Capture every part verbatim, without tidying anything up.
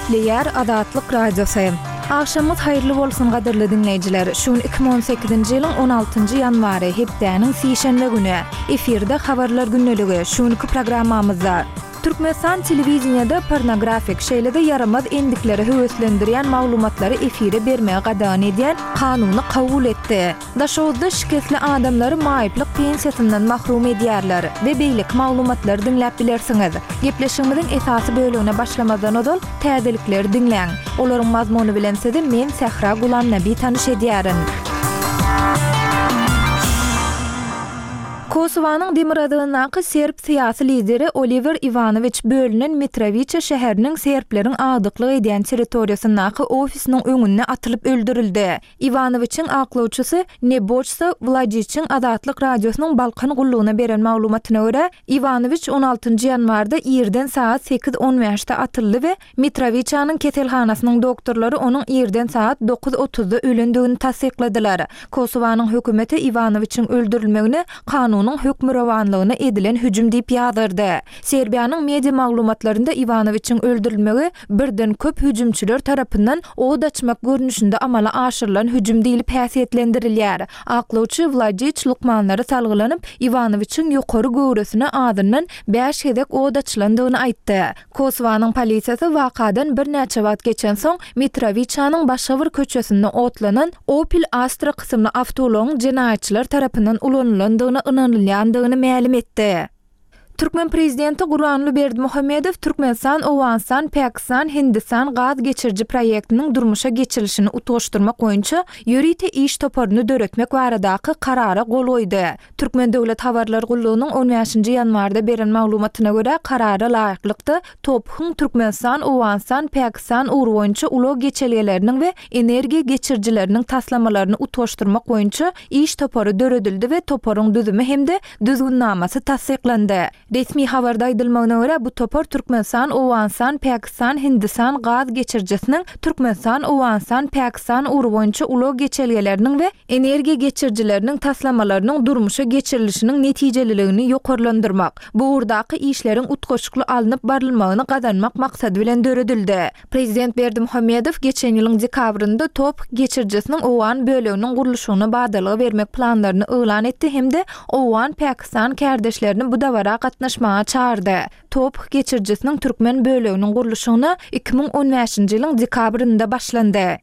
Gepleýär Azatlyk Radiosy. Agşamyňyz haýyrly bolsun gadyrly diňleýjiler. Şu gün iki müň on sekizinji ýylyň on altynjy ýanwary, hepdäniň sişenbe güni. Efirde Habarlar gündeligi. Şu günki programmamyzda Türkmenistan telewideniýede pornografik, şeýle-de ýaramaz endikleri höweslendirýän maglumatlary efire bermegi gadagan edýän kanuny kabul etdi. Daşoguzda şikesli adamlary maýyplyk pensiýasyndan mahrum edýärler we beýleki maglumatlary diňläp bilersiňiz. Gepleşigimiziň esasy bölegine başlamazdan ozal, täzelikleri diňläň. Olaryň mazmuny bilen sizi men Sähra Gulamnabi tanyş edýärin. Kosowanyň demirgazygyndaky serb syýasy lideri Oliwer Iwanowiç bölünen Mitrowiça şäheriniň serbleriň agdyklyk edýän territoriýasyndaky ofisiniň öňünde atylyp öldürildi. Iwanowiçiň aklawçysy Neboçsa Wladiçiň Azatlyk Radiosynyň Balkan gullugyna beren maglumatyna görä, Iwanowiç on altynjy ýanwarda irden sagat sekiz on bäşde atyldy we Mitrowiçanyň keselhanasynyň doktorlary onuň irden sagat dokuz otuzda ölendigini tassykladylar. Kosowanyň hökümeti Iwanowiçiň öldürilmegini kanunyň hökmürowanlygyna edilen hüjüm diýip ýazgardy. Serbiýanyň media maglumatlarynda Iwanowiçiň öldürilmegi birden köp hüjümçiler tarapyndan od açmak görnüşinde amala aşyrylan hüjüm diýlip häsiýetlendirilýär. Aklawçy Wladiç lukmanlara salgylanyp, Iwanowiçiň ýokary göwresine azyndan bäş gezek od açylandygyny aýtdy. Kosowanyň polisiýasy wakadan birnäçe wagt geçensoň, Mitrowiçanyň başga bir köçesinde otlanan Opel Astra kysymly awtoulagyň jenaýatçylar tarapyndan ulanylandygyna ynanylýandygyny mälim etdi. Türkmen prezidenti Gurbanguly Berdimuhamedow Türkmenistan, Owganystan, Pakistan, Hindistan gaz geçiriji proýektiniň durmuşa geçirilişini utgaşdyrmak boýunça ýörite iş toparyny döretmek baradaky Karara gol goýdy. Türkmen döwlet habarlar gullugynyň on bäşinji ýanwarda beren maglumatyna görä, Karara laýyklykda, TOPH-yň Türkmenistan, Owganystan, Pakistan ugry boýunça ulag geçelgeleriniň we energiýa geçirijileriniň taslamalaryny utgaşdyrmak boýunça iş topary döredildi we toparyň düzümi hem-de düzgünnamasy tassyklandy. Resmi habarda aýdylmagyna görä, bu topar Türkmenistan, Owganystan, Pakistan, Hindistan gaz geçirijisiniň Türkmenistan, Owganystan, Pakistan ugry boýunça ulag geçelgeleriniň we energiýa geçirijileriniň taslamalarynyň durmuşa geçirilişiniň netijeliligini ýokarlandyrmak, bu ugurdaky işleriň utgaşykly alnyp barylmagyny gazanmak maksady bilen döredildi. Prezident Berdimuhamedow geçen ýylyň dekabrynda TOPH geçirijisiniň owgan böleginiň gurluşygyna badalga bermek planlaryny yglan etdi hem-de owgan-pakistan kärdeşlerini bu dabara gatnaşmaga çagyrdy. TOPH geçirijisiniň türkmen böleginiň gurluşygyna iki müň on bäşinji ýylyň dekabrynda başlandy.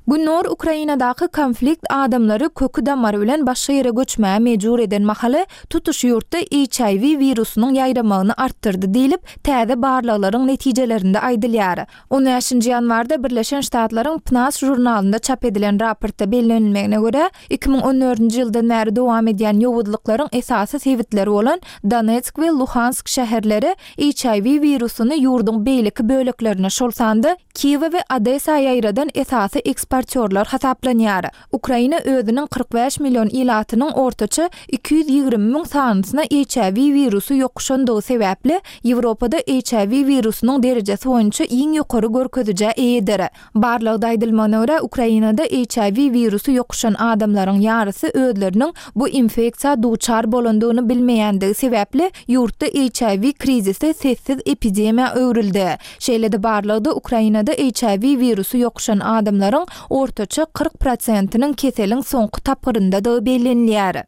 Gündogar Ukrainadaky konflikt adamlary köki-damary bilen başga ýere göçmäge mejbur eden mahaly, tutuş ýurtda H I W wirusynyň ýaýramagyny artdyrdy diýlip, täze barlaglaryň netijelerinde aýdylýar. On bäşinji ýanwarda Birleşen Ştatlaryň PNAS žurnalynda çap edilen raportda bellenilmegine görä, iki müň on dördünji ýyldan bäri dowam edýän ýowuzlyklaryň esasy sebitleri bolan Donetsk we Luhansk şäherleri H I W wirusyny ýurduň beýleki böleklerine, şol sanda Kiýewe we Odesa ýaýradan esasy eksportýorlar hasaplanýar. Ukraina özüniň kyrk bäş million ilatynyň ortaça iki ýüz ýigrimi müň sanysyna H I W wirusy ýokuşandygy sebäpli, Ýewropada H I W wirusynyň derejesi boýunça iň ýokary görkezijä eýedir. Barlagda aýdylmagyna görä, Ukrainada H I W wirusy ýokuşan adamlaryň ýarysy özleriniň bu infeksiýa duçar bolandygyny bilmeýändigi sebäpli, ýurtda H I W krizisi sessiz epidemiýa öwrüldi. Şeýle-de barlagda Ukrainada H I W wirusy ýokuşan adamlaryň ortaça kyrk prosentiniň keseliň soňky tapgyryndadygy bellenilýär.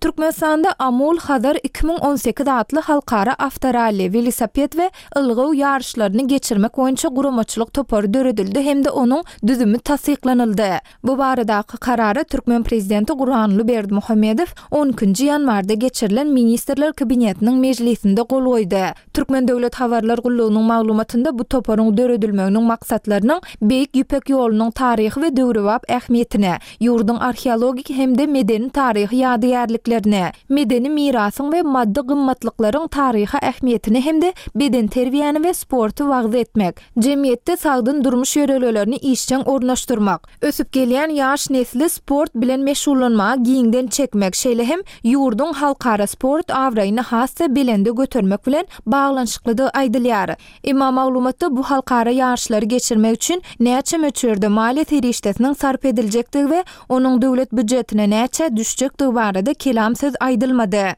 Türkmenistanda Amul Hazar iki müň on sekiz atly halkara awtoralli, welosiped we ylgaw ýaryşlaryny geçirmek boýunça guramaçylyk topary döredildi hem-de onuň düzümi tassyklanyldy. Bu baradaky Karara türkmen prezidenti Gurbanguly Berdimuhamedow on ikinji ýanwarda geçirilen Ministrler Kabinetiniň mejlisinde gol goýdy. Türkmen döwlet habarlar gullugynyň maglumatynda bu toparyň döredilmeginiň maksatlarynyň Beýik Ýüpek ýolunyň taryhy we döwrebap ähmiýetine, ýurduň arheologik hem-de medeni-taryhy ýadygärliklerine, medeni mirasyň we maddy gymmatlyklaryň taryhy ähmiýetine hem-de bedenterbiýäni we sporty wagyz etmek, jemgyýetde sagdyn durmuş ýörelgelerini işjeň ornaşdyrmak, ösüp gelýän ýaş nesli sport bilen meşgullanmaga giňden çekmek, şeýle hem ýurduň halkara sport abraýyny has-da belende götermek bilen baglanyşyklydygy aýdylýar. Emma maglumatda bu halkara ýaryşlary geçirmek üçin näçe möçberde maliýe serişdesiniň sarp ediljekdigi we onuň döwlet býujetine näçä düşjekdigi barada kelam söz aýdylmady.